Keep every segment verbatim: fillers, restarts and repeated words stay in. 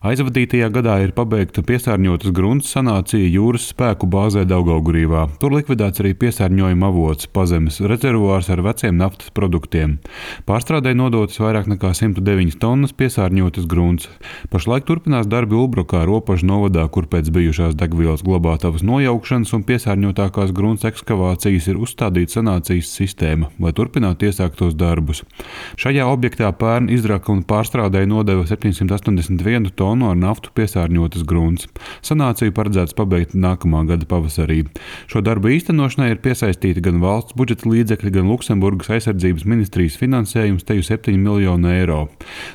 Aizvadītajā gadā ir pabeigta piesārņotas grunts sanācija jūras spēku bāzē Daugaugurīvā. Tur likvidēts arī piesārņojuma avots – pazemes rezervuārs ar veciem naftas produktiem. Pārstrādei nodotas vairāk nekā simt deviņas tonnas piesārņotas grunts. Pašlaik turpinās darbi Ulbrukā, Ropažu novadā, kur pēc bijušās degvielas glabātavas nojaukšanas un piesārņotākās grunts ekskavācijas ir uzstādīta sanācijas sistēma, lai turpinātu iesāktos darbus. Šajā objektā pērn izraka un pārstrādei nodeva septiņsimt astoņdesmit vienu tonu ar naftu piesārņotas grunts. Sanāciju paredzēts pabeigt nākamā gada pavasarī. Šo darbu īstenošanai ir piesaistīti gan valsts budžeta līdzekļi, gan Luksemburgas aizsardzības ministrijas finansējums teju septiņi miljoni eiro.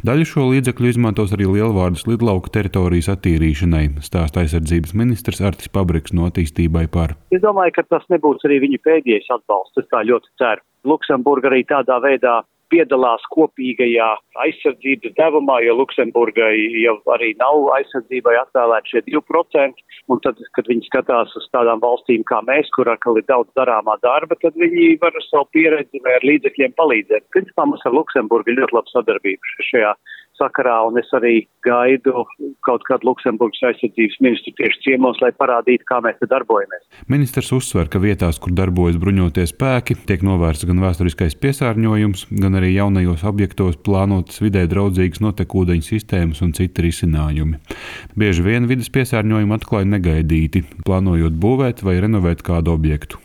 Daļu šo līdzekļu izmantos arī Lielvārdas lidlauka teritorijas attīrīšanai, stāsta aizsardzības ministrs Artis Pabriks no Attīstībai par. Es domāju, ka tas nebūs arī viņa pēdējais atbalsts, es tā ļoti ceru. Luksemburga arī tādā veidā piedalās kopīgajā aizsardzības devumā, jo Luksemburgai jau arī nav aizsardzībai atvēlēt šie divi procenti, un tad, kad viņi skatās uz tādām valstīm kā mēs, kur atkal ir daudz darāmā darba, tad viņi var ar savu pieredzi vai ar līdzekļiem palīdzēt. Principā mums ar Luksemburgu ir ļoti laba sadarbība šajā sakarā, un es arī gaidu kaut kādu Luksemburgas aizsardzības ministru tieši ciemos, lai parādītu, kā mēs te darbojamies. Ministrs uzsver, ka vietās, kur darbojas bruņotie spēki, tiek novērsts gan vēsturiskais piesārņojums, gan arī jaunajos objektos plānotas vidē draudzīgas notekūdeņu sistēmas un citi risinājumi. Bieži vien vides piesārņojumu atklāja negaidīti, plānojot būvēt vai renovēt kādu objektu.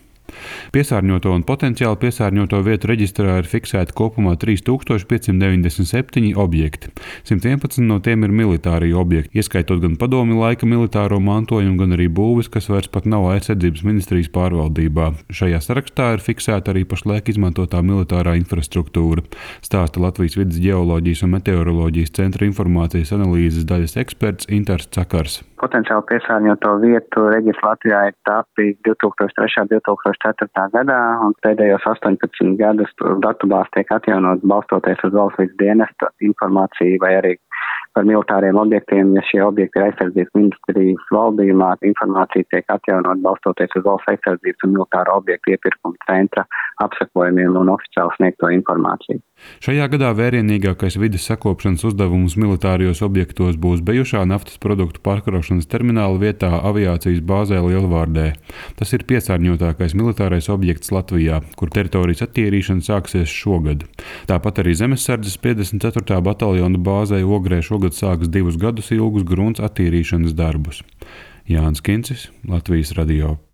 Piesārņoto un potenciāli piesārņoto vietu reģistrā ir fiksēti kopumā trīs tūkstoši piecsimt deviņdesmit septiņi objekti. simt vienpadsmit no tiem ir militārie objekti, ieskaitot gan padomju laika militāro mantojumu, gan arī būvis, kas vairs pat nav aizsardzības ministrijas pārvaldībā. Šajā sarakstā ir fiksēta arī pašlaik izmantotā militārā infrastruktūra, stāsta Latvijas vides ģeoloģijas un meteoroloģijas centra informācijas analīzes daļas eksperts Intars Cakars. Potenciāli piesārņoto vietu reģistrs Latvijā ir tapis divi tūkstoši trešā un divi tūkstoši ceturtā gadā, un pēdējos astoņpadsmit gadus datubāze tiek atjaunot balstoties uz valsts vides dienesta informāciju vai arī par militāriem objektiem. Ja šie objekti ir aizsardzības ministrijas valdījumā, informācija tiek atjaunot balstoties uz valsts aizsardzības un militāro objektu iepirkuma centra apsakojumiem un oficiāli sniegto informāciju. Šajā gadā vērienīgākais vides sakopšanas uzdevums militārijos objektos būs bijušā naftas produktu pārkraušanas termināla vietā aviācijas bāzē Lielvārdē. Tas ir piesārņotākais militārais objekts Latvijā, kur teritorijas attīrīšana sāksies šogad. Tāpat arī Zemessardzes piecdesmit ceturtā bataljona bāzē Ogrē šogad sāks divus gadus ilgus grunts attīrīšanas darbus. Jānis Kincis, Latvijas radio.